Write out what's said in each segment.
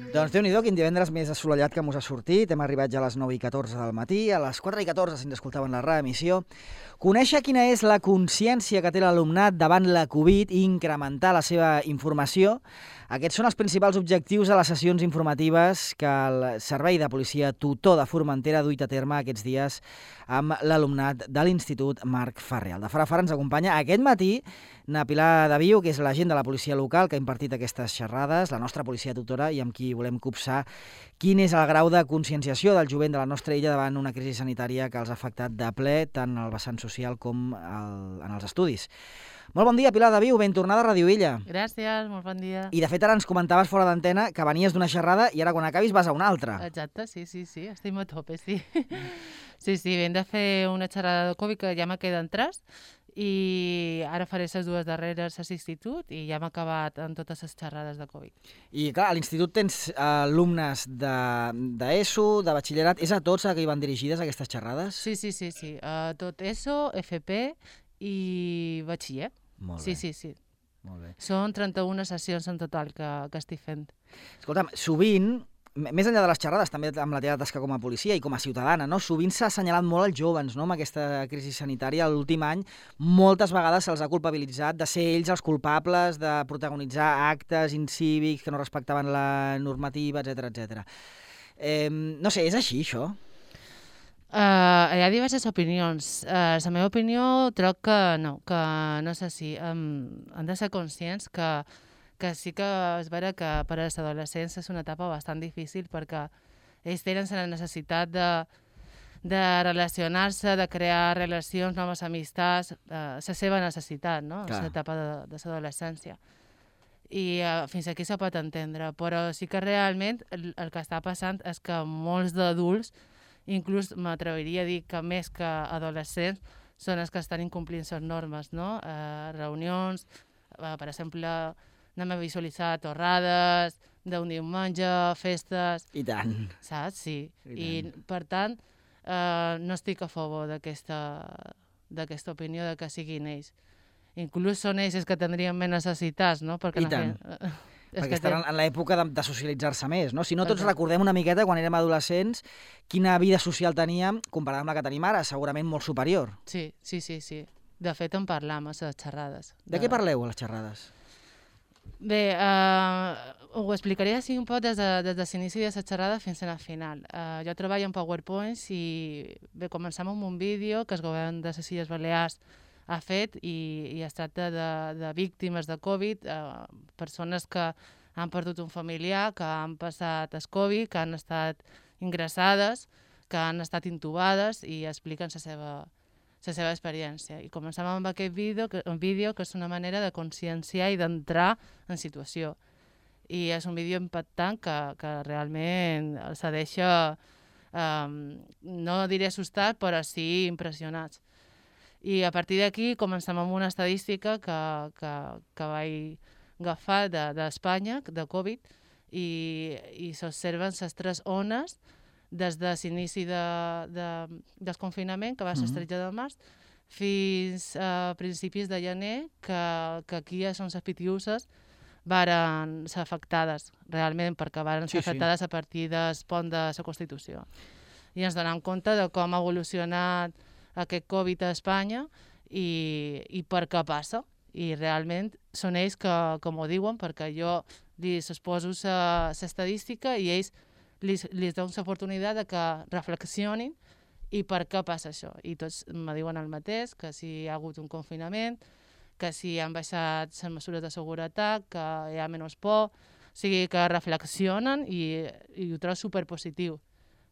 Doncs Déu-n'hi-do, quin divendres més assolellat que mos ha sortit. Hem arribat ja a les 9:14 del matí, a les 4:14 si ens escoltaven la reemissió. Conèixer quina és la consciència que té l'alumnat davant la Covid i incrementar la seva informació. Aquests són els principals objectius de les sessions informatives que el Servei de Policia Tutor de Formentera ha duit a terme aquests dies amb l'alumnat de l'Institut Marc Ferrer. El de Farafara ens acompanya aquest matí na Pilar de Viu, que és l'agent de la policia local que ha impartit aquestes xerrades, la nostra policia tutora, i amb qui volem copsar quin és el grau de conscienciació del jovent de la nostra illa davant una crisi sanitària que els ha afectat de ple tant al vessant social com en els estudis. Molt bon dia, Pilar de Viu, ben tornada a Radio Illa. Gràcies, molt bon dia. I de fet ara ens comentaves fora d'antena que venies d'una xerrada i ara quan acabis vas a una altra. Exacte, sí, estic a tope, sí. Sí, hem de fer una xerrada de Covid que ja me queden 3 i ara faré les 2 darreres a l'institut i ja m'he acabat amb totes les xerrades de Covid. I clar, a l'institut tens alumnes d'ESO, de batxillerat, és a tots a què hi van dirigides aquestes xerrades? Sí. Tot ESO, FP i batxiller. Molt bé. Sí. Molt bé. Són 31 sessions en total que estic fent. Escolta'm, sovint, més enllà de les xerrades, també amb la teva tasca com a policia i com a ciutadana, no? Sovint s'ha assenyalat molt els jóvens, no? Amb aquesta crisi sanitària. L'últim any, moltes vegades se'ls ha culpabilitzat de ser ells els culpables de protagonitzar actes incívics que no respectaven la normativa, etc. No sé, és així, això? Hi ha diverses opinions. La meva opinió troc que no és així. Hem de ser conscients que sí que és vera que per als adolescents és una etapa bastant difícil perquè ells tenen la necessitat de relacionar-se, de crear relacions, noves amistats, la seva necessitat, no? Clar. L'etapa de l'adolescència. I fins aquí se pot entendre, però sí que realment el que està passant és que molts d'adults, inclús m'atreviria a dir que més que adolescents, són els que estan incomplint les normes, no? Reunions, per exemple, anem a visualitzar torrades d'un diumenge, festes... I tant. Saps? Sí. I per tant, no estic a favor d'aquesta opinió de que siguin ells. Inclús són ells els que tindrien més necessitats, no? Perquè I tant. Perquè estan en l'època de socialitzar-se més, no? Si no, tots recordem una miqueta, quan érem adolescents, quina vida social teníem comparada amb la que tenim ara, segurament molt superior. Sí. De fet, en parlam a les xerrades. De què parleu a les xerrades? Bé, ho explicaré així un poc des de l'inici de la xerrada fins al final. Jo treballo en PowerPoints i bé, començam amb un vídeo que el govern de les Illes Balears ha fet i es tracta de víctimes de Covid, persones que han perdut un familiar, que han passat el Covid, que han estat ingressades, que han estat intubades i expliquen la seva experiència. I començam amb aquest vídeo, que és una manera de conscienciar i d'entrar en situació. I és un vídeo impactant que realment els deixa, no diré assustat, però sí impressionats. I a partir d'aquí començam amb una estadística que vaig agafar d'Espanya, de Covid, i s'observen les 3 ones des de l'inici del confinament, que va ser el 13 de març, fins a principis de gener, que aquí ja són les Pitiuses, varen ser afectades, realment, perquè varen ser afectades a partir del pont de la Constitució. I ens donem compte de com ha evolucionat aquest Covid a Espanya i per què passa. I realment són ells que m'ho diuen, perquè jo els exposo l'estadística i ells li donen l'oportunitat de que reflexionin i per què passa això. I tots me diuen el mateix, que si hi ha hagut un confinament, que si han baixat les mesures de seguretat, que hi ha menys por, o sigui que reflexionen i ho trobo superpositiu.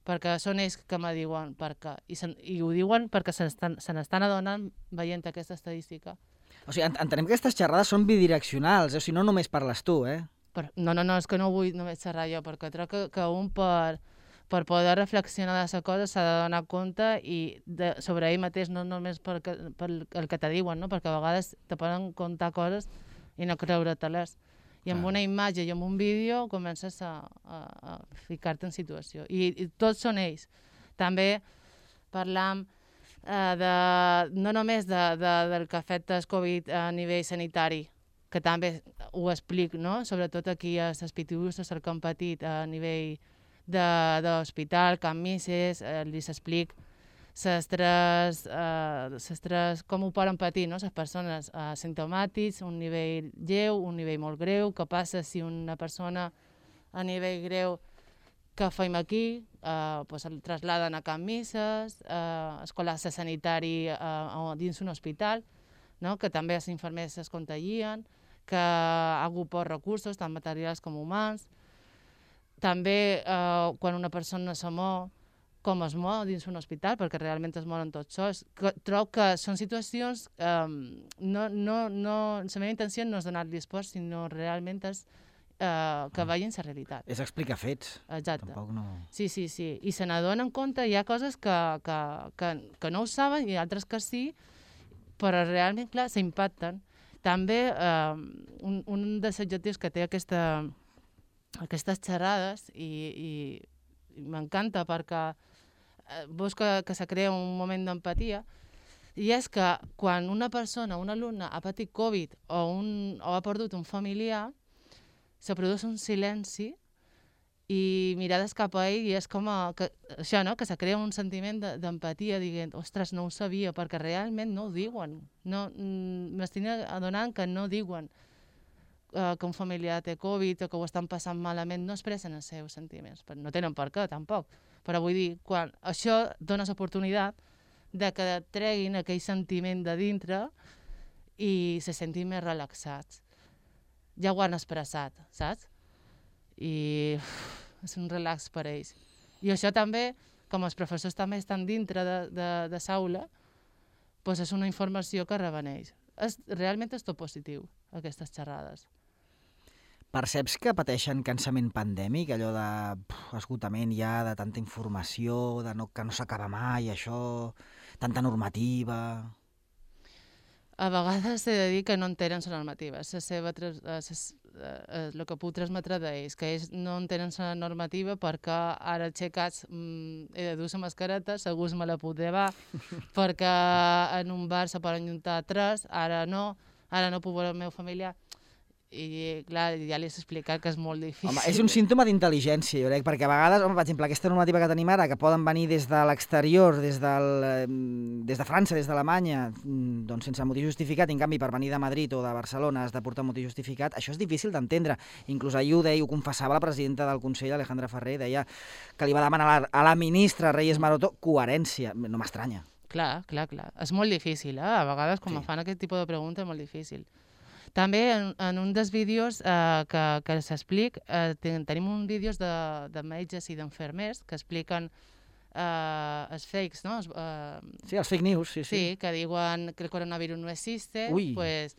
Perquè són ells que me diuen per què. I ho diuen perquè se n'estan adonant veient aquesta estadística. O sigui, entenem que aquestes xerrades són bidireccionals, o sigui, no només parles tu, No, és que no vull només xerrar jo, perquè trobo que un per poder reflexionar de la cosa s'ha de donar compte i sobre ell mateix, no només per el que te diuen, no? Perquè a vegades te poden contar coses i no creure-te-les. I amb una imatge i amb un vídeo comences a ficar-te en situació. I tots són ells. També parlam no només del que afecta el Covid a nivell sanitari, que també ho explic, no? Sobretot aquí a les pitiusses que han patit a nivell d'hospital, Can Misses, li s'explic com ho poden patir, no? Les persones asimptomàtics, un nivell lleu, un nivell molt greu, què passa si una persona a nivell greu que fem aquí, el trasladen a Can Misses, es col·lapse sanitari dins un hospital, no? Que també els infermers es contagien, que ha hagut pocs recursos, tant materials com humans. També quan una persona se mor, com es mor dins un hospital, perquè realment es moren tots sols. Trobo que són situacions... La meva intenció no és donar-los por, sinó realment és que vegin la realitat. És explicar fets. Exacte. Tampoc no... Sí. I se n'adonen compte, hi ha coses que no ho saben i altres que sí, però realment, clar, s'impacten. També un dels objectius que té aquestes xerrades, i m'encanta perquè veus que se crea un moment d'empatia, i és que quan una persona, un alumne, ha patit Covid o ha perdut un familiar, se produeix un silenci i mirades cap a ell, i és com això, no? Que se crea un sentiment d'empatia, dient, ostres, no ho sabia, perquè realment no ho diuen. M'estic adonant que no diuen que un familiar té Covid o que ho estan passant malament, no expressen els seus sentiments. No tenen per què, tampoc. Però vull dir, quan això dona l'oportunitat de que treguin aquell sentiment de dintre i se sentin més relaxats. Ja ho han expressat, saps? I és un relax per a ells. I això també, com els professors també estan dintre de l'aula, doncs és una informació que reben ells. Realment és tot positiu, aquestes xerrades. Perceps que pateixen cansament pandèmic, allò d'esgotament ja, de tanta informació, que no s'acaba mai, això, tanta normativa... A vegades he de dir que no entenen la normativa, el que puc transmetre d'ells, que ells no entenen la normativa perquè ara aixecats he de dur la mascareta, segur me la puc llevar, perquè en un bar se poden juntar 3, ara no puc veure el meu familiar. I clar, ja li he explicat que és molt difícil. Home, és un símptoma d'intel·ligència, jo crec, perquè a vegades, per exemple, aquesta normativa que tenim ara, que poden venir des de l'exterior, des de França, des d'Alemanya, doncs sense motiu justificat, i en canvi per venir de Madrid o de Barcelona has de portar motiu justificat, això és difícil d'entendre. Inclús ahir ho confessava la presidenta del Consell, Alejandra Ferrer, deia que li va demanar a la ministra Reyes Maroto coherència. No m'estranya. Clar. És molt difícil, A vegades, quan fan aquest tipus de pregunta, és molt difícil. També en un dels vídeos que s'explic, tenim uns vídeos de metges i d'enfermers que expliquen els fakes, no? Sí, els fake news, sí. Sí, que diuen que el coronavirus no existe, pues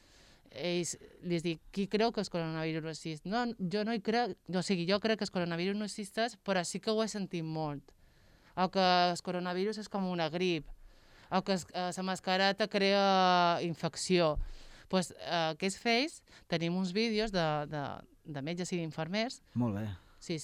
ells les dic, qui creu que el coronavirus no existe? No, jo no hi crec, jo crec que el coronavirus no existeix, però sí que ho he sentit molt. O que el coronavirus és com una grip, o que la mascareta crea infecció. Pues, aquests fakes, tenim uns vídeos de metges i d'infermers. Molt bé. Sí.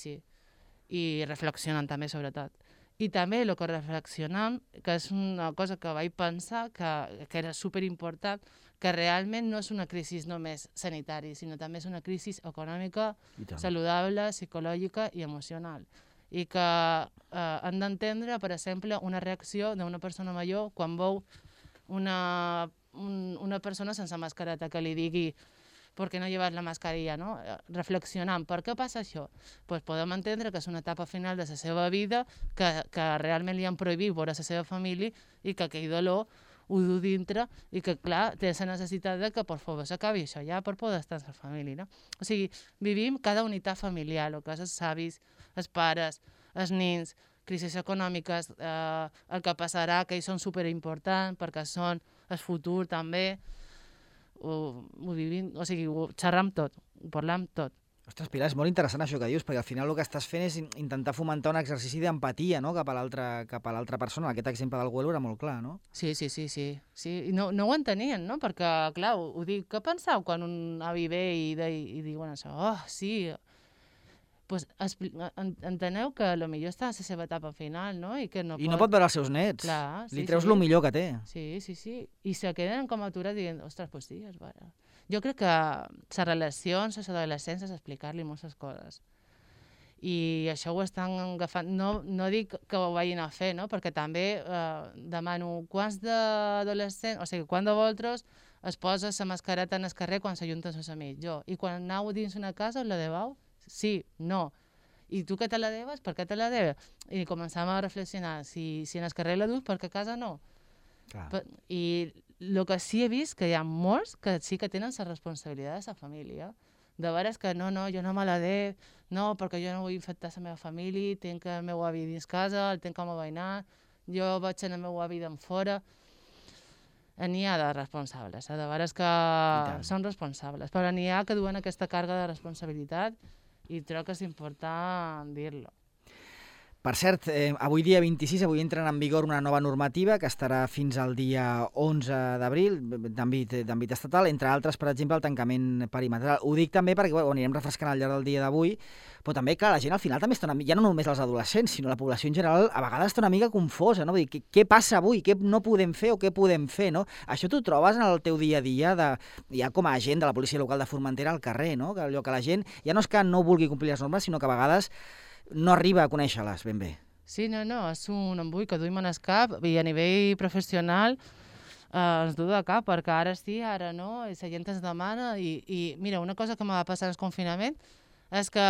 I reflexionant també, sobretot. I també el que reflexionant, que és una cosa que vaig pensar que era superimportant, que realment no és una crisi només sanitària, sinó també és una crisi econòmica, saludable, psicològica i emocional. I que han d'entendre, per exemple, una reacció d'una persona major quan veu una persona sense mascareta que li digui ¿por qué no llevas la mascarilla? No? Reflexionant, per què passa això? Pues podem entendre que és una etapa final de la seva vida, que realment li han prohibit veure la seva família i que aquell dolor ho du dintre i que, clar, té la necessitat de que, per favor, s'acabi això ja per poder estar amb la família. No? O sigui, vivim cada unitat familiar, el que és els avis, els pares, els nins, crisis econòmiques, el que passarà, que ells són superimportants perquè són el futur també, ho vivim, o sigui, ho xerram tot, ho parlam tot. Ostres, Pilar, és molt interessant això que dius, perquè al final el que estàs fent és intentar fomentar un exercici d'empatia, no?, cap a l'altra persona. Aquest exemple del Güelo era molt clar, no? Sí. I no ho entenien, no? Perquè, clar, ho dic, què penseu quan un avi ve i diuen això? Oh, sí... Pues, enteneu que potser està a la seva etapa final, no? I no pot veure els seus nets. Clar, li treus el millor que té. Sí. I se queden com aturats dient, ostres, pues sí, és vera. Jo crec que les relacions, les adolescències, explicar-li moltes coses. I això ho estan agafant. No dic que ho vagin a fer, no? Perquè també demano quants d'adolescents, o sigui, quants de vosaltres es posa la mascareta en el carrer quan s'ajunten els amics? Jo. I quan aneu dins una casa us la deveu? Sí, no. I tu que te la deves? Per què te la deves? I començàvem a reflexionar. Si en el carrer la dus, per què a casa no? I el que sí he vist que hi ha molts que sí que tenen la responsabilitat de la família. De veres que no, jo no me la dec, no, perquè jo no vull infectar la meva família, tinc el meu avi dins casa, el tinc com a veïnat, jo vaig el meu avi d'en fora. N'hi ha de responsables, de veres que són responsables, però n'hi ha que duen aquesta càrrega de responsabilitat i crec que és important dir-lo. Per cert, avui dia 26, avui entra en vigor una nova normativa que estarà fins al dia 11 d'abril, d'àmbit estatal, entre altres, per exemple, el tancament perimetral. Ho dic també perquè ho anirem refrescant al llarg del dia d'avui, però també, clar, la gent al final també està ja no només els adolescents, sinó la població en general a vegades està una mica confosa, no? Vull dir, què passa avui? Què no podem fer o què podem fer, no? Això t'ho trobes en el teu dia a dia, ja com a agent de la policia local de Formentera al carrer, no? Que allò que la gent ja no és que no vulgui complir les normes, sinó que a vegades no arriba a conèixer-les ben bé. Sí, no, és un embull que duim en el cap i a nivell professional ens du de cap, perquè ara sí, ara no, i la gent ens demana i mira, una cosa que me va passar en el confinament és que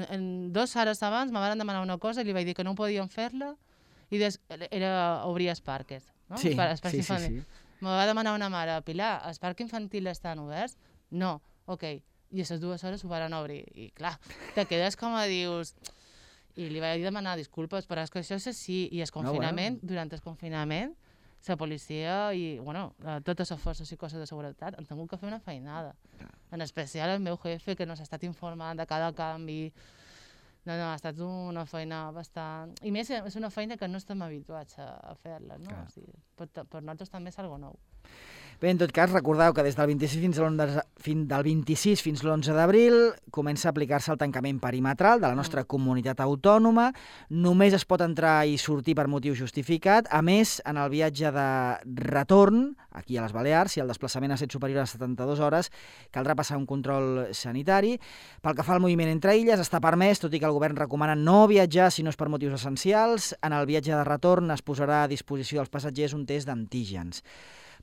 en 2 hores abans me van demanar una cosa i li vaig dir que no podíem fer-la i era obrir els parques, no? Sí. Me va demanar una mare, Pilar, els parcs infantils estan oberts? No, ok. I a les 2 hores ho van obrir. I clar, te quedes com a dius... I li vaig demanar disculpes, però és que això és així. I el confinament, durant el confinament, la policia i, totes les forces i coses de seguretat han tingut que fer una feinada. En especial el meu jefe, que no s'ha estat informant de cada canvi. No, ha estat una feina bastant... I més, és una feina que no estem habituats a fer-la, no? O sigui, per nosaltres també és algo nou. Bé, en tot cas, recordeu que des del 26 fins l'11 d'abril comença a aplicar-se el tancament perimetral de la nostra comunitat autònoma. Només es pot entrar i sortir per motiu justificat. A més, en el viatge de retorn, aquí a les Balears, si el desplaçament ha estat superior a 72 hores, caldrà passar un control sanitari. Pel que fa al moviment entre illes, està permès, tot i que el govern recomana no viatjar si no és per motius essencials. En el viatge de retorn es posarà a disposició dels passatgers un test d'antígens.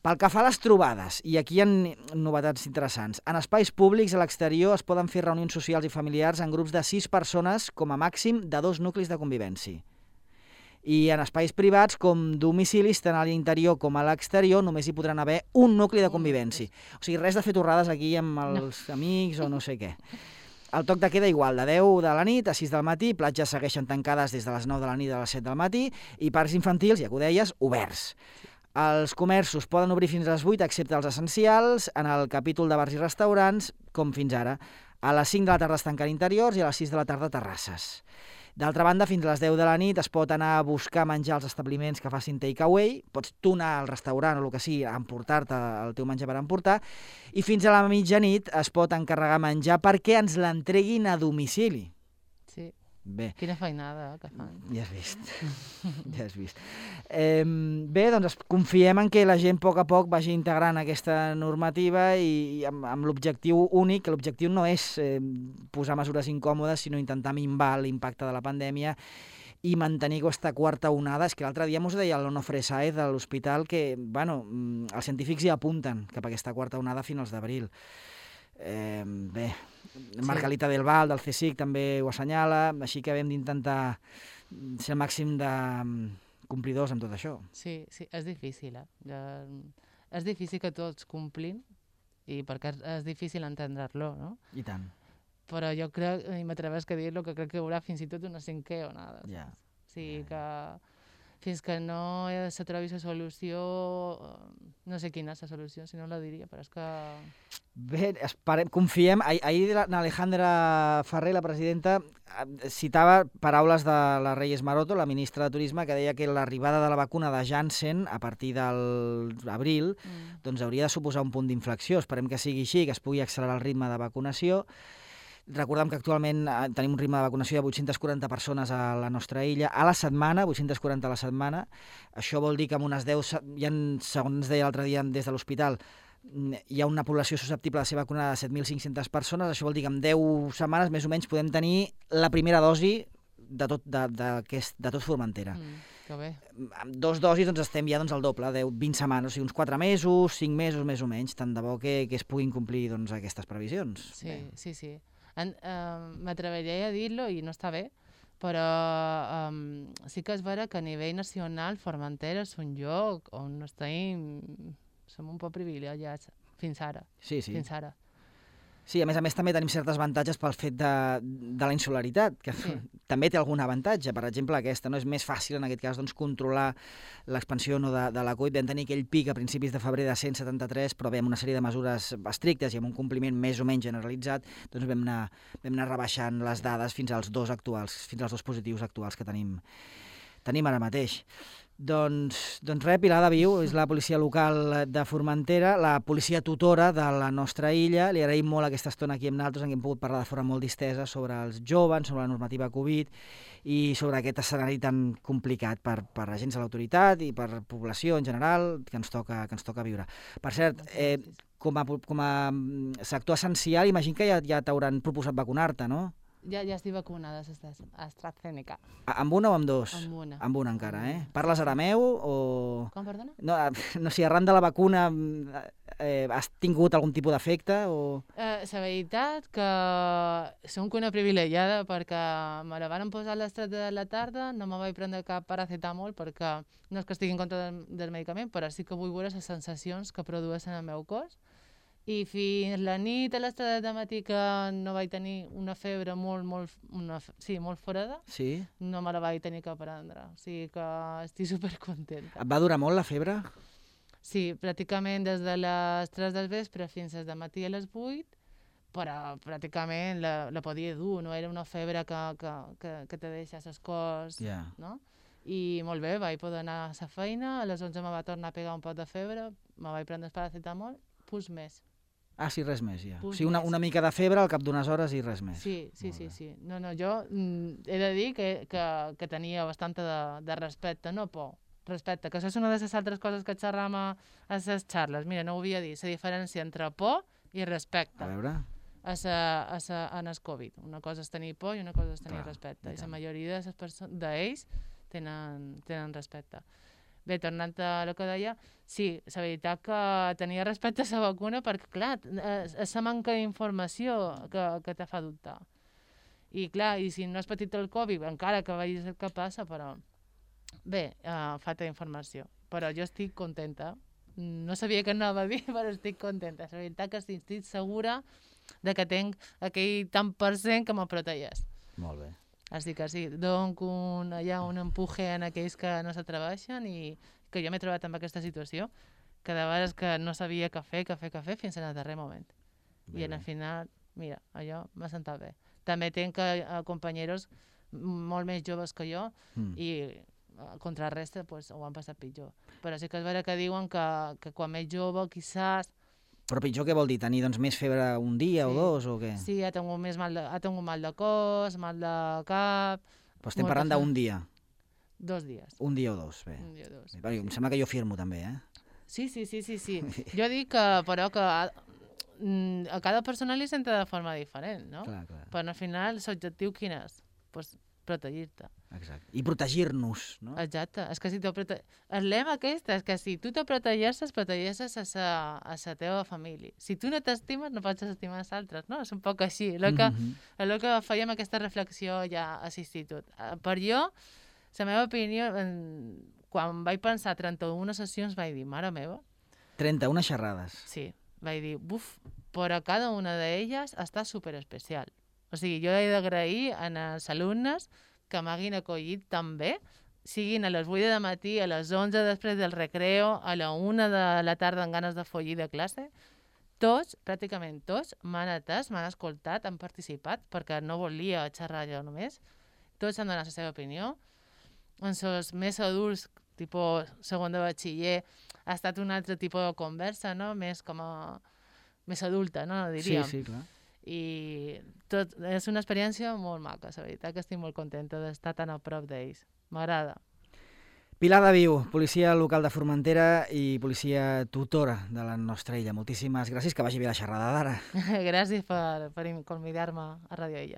Pel que fa a les trobades, i aquí hi ha novetats interessants, en espais públics a l'exterior es poden fer reunions socials i familiars en grups de 6 persones com a màxim de 2 nuclis de convivència. I en espais privats, com domicilis, tant a l'interior com a l'exterior, només hi podran haver un nucli de convivència. O sigui, res de fer torrades aquí amb els amics o no sé què. El toc de queda igual, de 10 de la nit a 6 del matí, platges segueixen tancades des de les 9 de la nit a les 7 del matí i parcs infantils, ja que ho deies, oberts. Els comerços poden obrir fins a les 8, excepte els essencials, en el capítol de bars i restaurants, com fins ara. A les 5 de la tarda es tanquen interiors i a les 6 de la tarda terrasses. D'altra banda, fins a les 10 de la nit es pot anar a buscar menjar als establiments que facin takeaway, pots tu anar al restaurant o el que sigui a emportar-te el teu menjar per emportar, i fins a la mitjanit es pot encarregar menjar perquè ens l'entreguin a domicili. Sí. Bé. Quina feinada que fan. Ja has vist. Bé, doncs confiem en que la gent a poc vagi integrant aquesta normativa i amb l'objectiu únic, que l'objectiu no és posar mesures incòmodes, sinó intentar minvar l'impacte de la pandèmia i mantenir aquesta quarta onada. És que l'altre dia m'ho deia l'Onofre Sáez de l'hospital que, els científics hi apunten cap a aquesta quarta onada a finals d'abril. Bé, Margalita del Val, del CSIC, també ho assenyala, així que hem d'intentar ser el màxim de complidors amb tot això. Sí, és difícil, És difícil que tots complim, i perquè és difícil entendre-lo, no? I tant. Però jo crec, i m'atrevesc a dir-lo, que crec que hi haurà fins i tot una 5a onada. Ja. O sigui que fins que no se trobi la solució, no sé quina és la solució, si no la diria, però és que... Bé, confiem. Ahir l'Alejandra Ferrer, la presidenta, citava paraules de la Reyes Maroto, la ministra de Turisme, que deia que l'arribada de la vacuna de Janssen a partir de l'abril doncs hauria de suposar un punt d'inflexió. Esperem que sigui així, que es pugui accelerar el ritme de vacunació. Recordem que actualment tenim un ritme de vacunació de 840 persones a la nostra illa a la setmana, 840 a la setmana. Això vol dir que amb unes 10, segons deia l'altre dia des de l'hospital, hi ha una població susceptible de ser vacunada de 7.500 persones, això vol dir que en 10 setmanes més o menys podem tenir la primera dosi de tot Formentera. Que bé. Amb 2 dosis doncs, estem ja al doble, 20 setmanes, o sigui, uns 4 mesos, 5 mesos més o menys, tant de bo que es puguin complir doncs, aquestes previsions. Sí, sí. M'atreviria a dir-lo i no està bé, però sí que és vera que a nivell nacional Formentera és un lloc on som un poc privilegiats fins ara. Sí. Fins ara. Sí, a més també tenim certes avantatges pel fet de la insularitat, que també té algun avantatge. Per exemple, aquesta, no és més fàcil en aquest cas doncs, controlar l'expansió de la Covid. Vam tenir aquell pic a principis de febrer de 173, però bé, amb una sèrie de mesures estrictes i amb un compliment més o menys generalitzat, doncs vam anar rebaixant les dades fins als 2 positius actuals que tenim ara mateix. Doncs res, Pilar de Viu és la policia local de Formentera, la policia tutora de la nostra illa. Li agraïm molt aquesta estona aquí amb nosaltres, en què hem pogut parlar de forma molt distesa sobre els joves, sobre la normativa Covid i sobre aquest escenari tan complicat per agents de l'autoritat i per població en general que ens toca viure. Per cert, com a sector essencial, imagino que ja t'hauran proposat vacunar-te, no? Ja estic vacunada a AstraZeneca. Amb una o amb 2? Amb una. Amb una encara, Parles arameu o...? Com, perdona? No sé, arran de la vacuna has tingut algun tipus d'efecte o...? La veritat que som una privilegiada perquè me la van posar a les 3 de la tarda, no me vaig prendre cap paracetamol perquè no és que estigui en contra del medicament, però sí que vull veure les sensacions que produeixen el meu cos. I fins la nit a les 3 del matí que no vaig tenir una febre molt forada, no me la vaig tenir que prendre. O sigui que estic supercontenta. Et va durar molt la febre? Sí, pràcticament des de les 3 del vespre fins al matí a les 8, però pràcticament la podia dur, no era una febre que te deixa el cos, no? I molt bé, vaig poder anar a la feina, a les 11 me va tornar a pegar un pot de febre, me vaig prendre el paracetamol, pues més. Ah, sí, res més, ja. O sigui, una mica de febre al cap d'unes hores i res més. Sí. No, jo he de dir que tenia bastant de respecte, no por, respecte, que això és una de les altres coses que xerram a les xarles. Mira, no ho havia dit, la diferència entre por i respecte. A veure... en el Covid. Una cosa és tenir por i una cosa és tenir respecte. I la majoria d'ells tenen respecte. Bé, tornant a el que deia, sí, la veritat que tenia respecte a la vacuna perquè, clar, és la manca d'informació que te fa dubtar. I, clar, i si no has patit el Covid, encara que vegis el que passa, però... Bé, falta informació. Però jo estic contenta. No sabia què anava a dir, però estic contenta. La veritat que estic segura de que tinc aquell tant % que me protegeix. Molt bé. Així que sí, dono un empuje en aquells que no s'atreveixen i que jo m'he trobat amb aquesta situació, que de vegades que no sabia què fer fins al darrer moment. I al final, mira, allò m'ha sentat bé. També tinc companyeros molt més joves que jo i contra la resta pues, ho han passat pitjor. Però sí que és vera que diuen que quan més jove, quizás... Però pitjor què vol dir? Tenir doncs, més febre un dia o 2 o què? Sí, ha tingut mal de cos, mal de cap... Però estem parlant d'un dia? 2 dies. Un dia o 2, bé. Un dia o 2. Bé, em sembla que jo firmo també, Sí. Jo dic que, però que a cada persona li senta de forma diferent, no? Clar. Però al final l'objectiu quin és? Pues protegir-te. Exacte. I protegir-nos, no? Exacte. És que si el lema aquest és que si tu te protegeixes a la teva família. Si tu no t'estimes, no pots estimar els altres, no? És un poc així. El que fèiem aquesta reflexió ja a l'institut. Per jo, la meva opinió, quan vaig pensar 31 sessions, vaig dir, mare meva... 31 xerrades. Sí. Vaig dir, però cada una d'elles està superespecial. O sigui, jo he d'agrair als alumnes que m'hagin acollit tan bé, siguin a les 8 de matí, a les 11 després del recreo, a la 1 de la tarda amb ganes de follir de classe. Tots, pràcticament tots, m'han atès, m'han escoltat, han participat, perquè no volia xerrar jo només. Tots han donat la seva opinió. Els més adults, tipus segon de batxiller, ha estat un altre tipus de conversa, no? Més com a... més adulta, no? Diríem. Sí, clar. I tot és una experiència molt maca, la veritat que estic molt contenta d'estar tan a prop d'ells. M'agrada. Pilar de Viu, policia local de Formentera i policia tutora de la nostra illa. Moltíssimes gràcies, que vagi bé la xerrada d'ara. Gràcies per convidar-me a Radio Illa.